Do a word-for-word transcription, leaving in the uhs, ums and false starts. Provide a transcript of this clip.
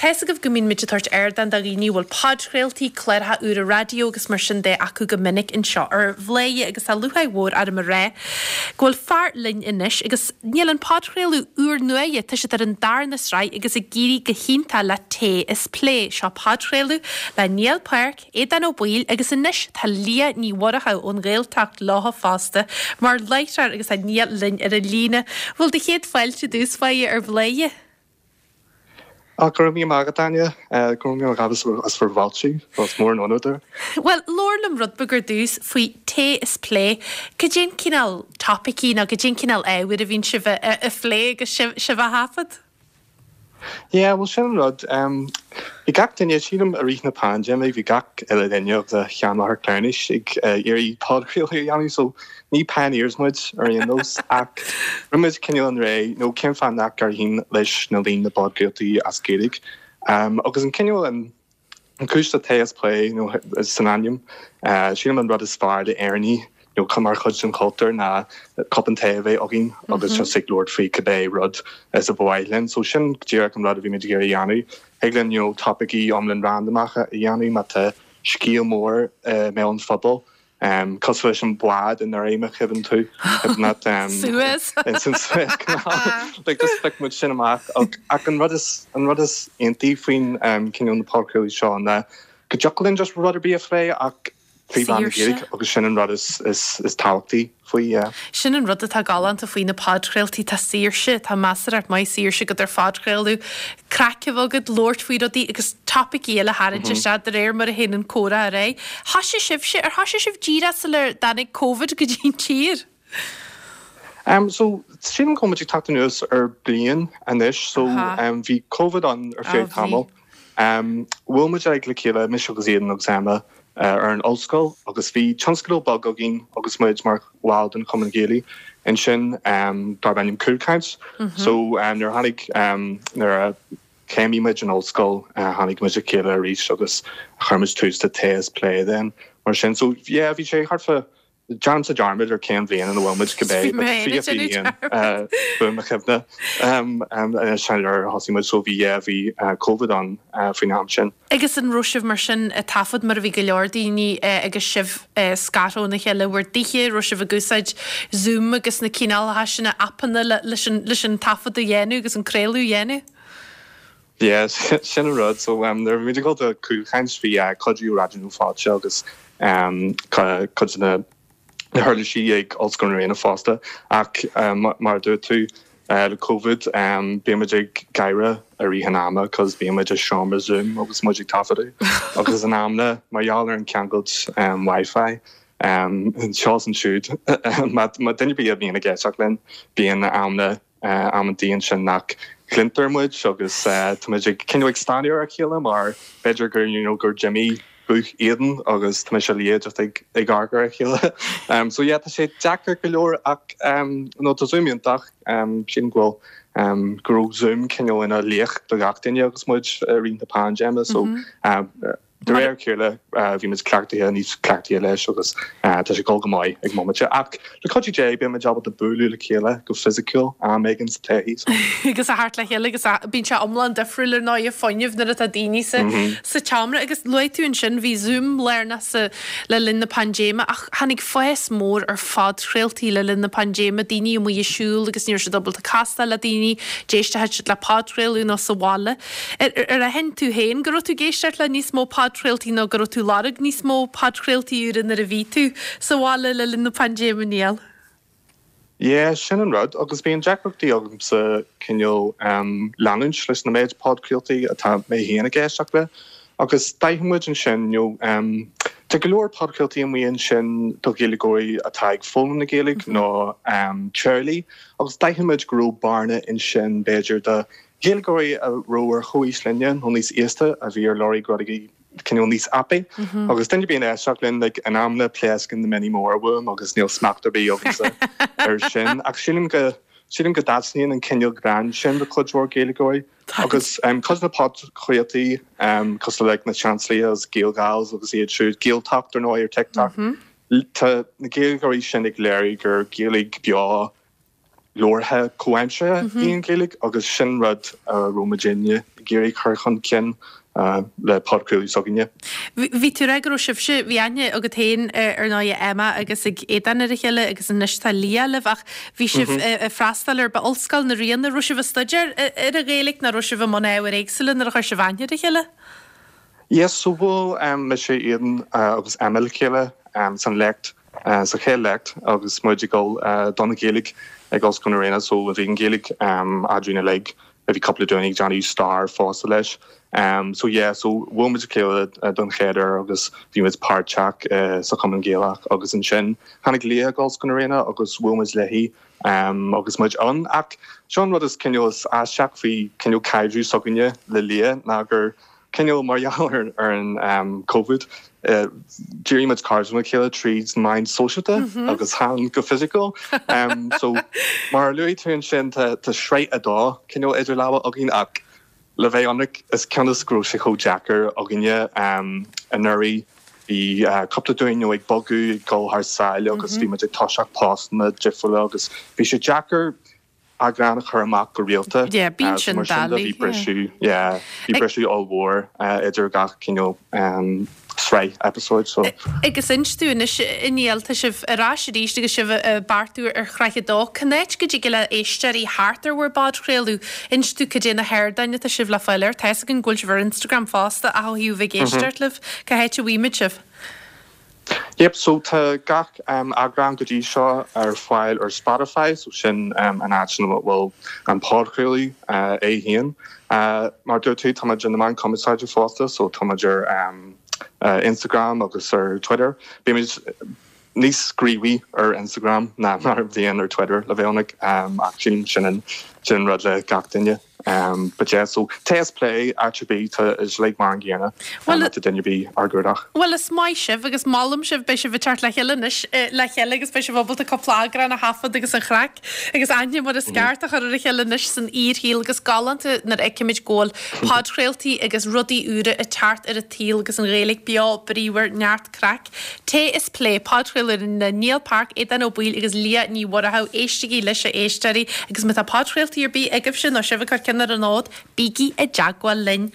Tá's agaibh go mbíonn muid ag tabhairt ardán do dhaoine a bhfuil podchraoltaí, cláracha úra raidió agus mar sin de acu go minic anseo ar Bhladhaire agus tá lúcháir mhór orm a rá go bhfuil fear linn anois agus níl an podchraoladh úrnua, tá siad ar an darna sraith agus ag éirí go hiontach le Tae is Plé. Seo podchraoladh le Niall Park, Aodán Ó Baoill agus anois tá Liadh Ní Mhurchú ón Ghaeltacht leo fosta mar láithreoir agus tá Niall linn ar an líne. Bhuel do chéad fáilte i dtús báire ar Bhladhaire. Á go raibh míle maith agat Áine go raibh míle as as bhur bhfáilte is mór an onóir. Well labhair liom rud beag ar dtús faoi Tae is Plé. Cad é an cineál topaicí nó cad é an cineál ábhair a bhíonn sibh a phlé agus sibh á thaifead? Yeah, well sin an rud. Um, bhí gach duine sílim i rith na paindéime bhí gach uile duine agus a sheanmháthair cleamhnais ag uh, iarraidh podchraoladh a dhéanamh so ní pioneers muid ar aon nós ach muid cineál an ré nó cén fáth nach n-éireoidh leis na líon na bpodchraoltaí as Gaeilge. Um, agus an cineál an an chúis le Tae is Plé nó san ainm uh, sílim an rud is fearr le Éireannaigh nó chun mar chuid den chultúr ná cupán tae a bheith againn agus just ag labhairt faoi cibé rud is a bhfuil linn, so sin díreach an rud a bhí muid ag iarraidh a dhéanamh. Thig linn you know, topaicí iomlán randamacha a dhéanamh má tá scéal mór uh, mé an phobal. Um, cosúil leis an bád in réime chuimhin tú um, Suez san Suez Canal like just phioc muid sin amach ach an rud is an rud is iontaí faoin um, cineál na podchraoltaí seo ná go dtiocfadh linn just rud ar bith a phlé ach trí mheán na Gaeilge agus sin an rud is is is tábhachtaí faoi yeah. Sin an rud atá galánta faoi na podchraoltaí tá saoirse tá measartha maith saoirse agat ar phodchraoladh craic a bheith agat labhairt faoi rudaí agus topaicí eile a tharraingt isteach de réir mar a théann an comhrá ar aghaidh. Thosaigh sibhse ar thosaigh sibh díreach sular dtáinig Covid go dtí an tír. Um, so sílim go ag teacht anuas ar bliain anois so um, bhí COVID ann ar feadh tamall. Um, bhfuil muid ag le chéile mise agus Aodán agus Emma uh, ar an ollscoil agus bhí tionscadal beag againn agus muid mar bhaill den Chumann Gaelach ansin um, darb ainm Cúlchaint. Mm -hmm. So um, nuair tháinig um, nuair a chéimnigh muid an ollscoil uh, tháinig muid le chéile arís agus chuir muid tús le Tae is Plé then mar sin so yeah, bhí sé thart fá Déanaimse dearmad ar cén bhliain ina bhfuil muid cibé bu chuimhne sin ar thosaigh muid so bhí bhí COVID ann faoin am sin. Agus an raibh sibh mar sin ag taifead mar a bhí go leor daoine agus sibh scartha óna chéile bhur dtithe raibh sibh ag úsáid Zoom agus na cineálacha sin aipeanna leis an taifead a dhéanamh agus an craoladh a dhéanamh? Yes, sin an rud so um, nuair bhí go do Cúlchaint bhí uh, cuidiú Raidió Fáilte agus um, cuid na na huirlisí ag Ollscoil na Ríona fosta ach um, mar dúirt tú uh, le COVID um, bímid ag gáire i rith an ama cos bímid i seomra Zoom agus muid ag taifeadadh agus in amanna mar gheall ar an ceangailt um, Wi-Fi um, seo ansiúd má duine bí a bhíonn ag éisteacht linn bíonn amanna uh, amantaí ansin nach gcluintear muid agus uh, tá muid ag cineál ag stánadh ar a chéile mar b'fhéidir gur you know, gur Jimmy guth Aodán agus tá sé liad ag ag gar a chéile. Um, so yeah, tá sé deacair go leor ach um, nó tá Zoom iontach um, sin go bhfuil um, go raibh Zoom cineál ina laoch do gach duine agus muid i rith na paindéime so mm -hmm. um, De réir chéile bhí muid cleachtaithe níos cleachtaithe leis agus tá sé go maith ag móide ach le cuidiú Dé beimid ábalta bualadh le chéile go fisiciúil am éigin sa todhchaí. agus a theacht le chéile agus bíonn sé iomlán difriúil ar ndóigh fuinneamh nuair atá daoine sa sa tseomra agus luaigh tú ansin bhí Zoom lárnach sa le linn na paindéime ach tháinig fás mór ar phodchraoltaí le linn na paindéime daoine amuigh ag siúl agus ní raibh siad ábalta castáil le daoine d'éist siad le podchraoladh nó sa bhaile. Ar ar aithin tú féin go raibh tú ag éisteacht le níos mó podchraoltaí nó go raibh tú ag lorg níos mó podchraoltaí úra nuair a bhí tú sa bhaile le linn na paindéime Niall. Yeah, sin an rud agus bíonn deacrachtaí agamsa cineál um, leanúint leis na méid podchraoltaí atá mé féin ag éisteacht le. Agus d'aithin muid ansin nó um, Tá go leor podchraoltaí amuigh ansin do Ghaeilgeoirí atá ag foghlaim na Gaeilge mm -hmm. nó um, teaghlaigh agus d'aithin muid go raibh bearna ansin b'fhéidir do Ghaeilgeoirí a raibh ar chomhaois linne nó níos aosta a bhí ar lorg rudaí cineál níos tapaí mm -hmm. agus duine bíonn éisteacht linn like, in amanna pléascann na mionnaí móra uaim agus níl smacht ar bith agamsa ar sin ach sílim go sílim go dtaitníonn an cineál greann sin do chuid mhór Gaeilgeoirí agus um, cos na podchraoltaí um, cosúil le na Chansleyas, Gael-Gals agus iad siúd Gaeltacht ar nó ar TikTok. Mm -hmm. Tá na Gaeilgeoirí sin ag léiriú gur Gaeilge beo leabhartha comhaimseartha í an Ghaeilge agus sin rud a raibh muidinne ag iarraidh cur chun cinn le podchraoladh s'againne. Bhí tú ag rá go raibh sibhse bhí aithne agat féin ar ndóigh Emma agus ag Aodán ar a chéile agus anois tá Lia libh ach bhí sibh ag freastal ar ba Ollscoil na Ríona raibh sibh ag staidéar ar an Ghaeilge nó raibh sibh i mbun ábhair éagsúla nuair a chuir sibh aithne ar a chéile? Yes, so bhuail um, mise Aodán uh, agus Emma le chéile um, san léacht uh, sa chéad léacht agus muid ag dul uh, don Ghaeilge ag Ollscoil na Ríona so bhí an Ghaeilge um, againn uilig a bhí cúpla duine ag déanamh stair fosta leis. Um, so yeah, so bhuail muid le chéile uh, don chéad uair agus bhí muid páirteach uh, sa Chumann Gaelach agus ansin tháinig Lia go Ollscoil na Ríona agus bhuail muid léi um, agus muid ann ach sin rud is cineál is aisteach faoi cineál caidreamh s'againne le Lia ná gur cineál mar gheall ar ar an um, COVID uh, d'éirigh muid cairde le chéile tríd na meáin sóisialta mm -hmm. agus chan go physical. Um, so mar luaigh tú ansin tá sraith a dó cineál idir lámha againn ach le bheith ionraic is cionn go raibh sé chomh deacair againne um, anuraidh bhí uh, cúpla duine ag bogadh ag dul thar sáile agus bhí muid ag toiseacht postanna difriúla agus bhí sé deacair eagrán a chur amach go rialta. Yeah, bíonn sin bhí briseadh bhí briseadh ollmhór idir gach cineál um, sraith episode so. Agus inis dúinn anois a Niall tá sibh ar ais arís agus sibh ag beartú ar shraith a dó Cá háit go dtig le éisteoirí theacht ar bhur bpodchraoladh inis dúinn cad é na hardáin atá sibh le fáil air Tá an bhfuil sibh ar Instagram fosta a thaobh ag éisteacht libh cá háit a bhfaighimid sibh. Yep, so tá gach um, eagrán go dtí seo ar fáil ar Spotify, so sin um, an áit ina bhfuil an podchraoladh uh, é féin. Uh, mar dúirt tú tá na meáin chumarsáide fosta, so tá ar um, uh, Instagram agus ar Twitter. Bímid níos gníomhaí ar Instagram ná mar a bhíonn ar Twitter le bheith ionraic um, ach sin sin sin rud le gach duine. Um, but yeah, so Tae is Plé RTB tá is like mar an gcéanna Well, well, duine bí ár gcuardach. Well is maith sibh agus molaim sibh beidh sibh ag teacht le chéile anois le chéile agus beidh sibh ábalta cúpla eagrán a thaifead agus an chraic agus aithne mar is ceart a chur ar a chéile anois san fhíorshaol agus galánta nuair a fheicimid go bhfuil podchraoltaí agus rudaí úra ag teacht ar an tsaol agus an Ghaeilge beo bríomhar neart craic. Tae is Plé podchraoladh le Niall Park Aodán Ó Baoill agus Lia Ní Mhuireadhaigh éistigí leis a éisteoirí agus má tá podchraoltaí ar bith agaibhse nó sibh ag cur ceann ar an fhód, bígí i dteagmháil linn.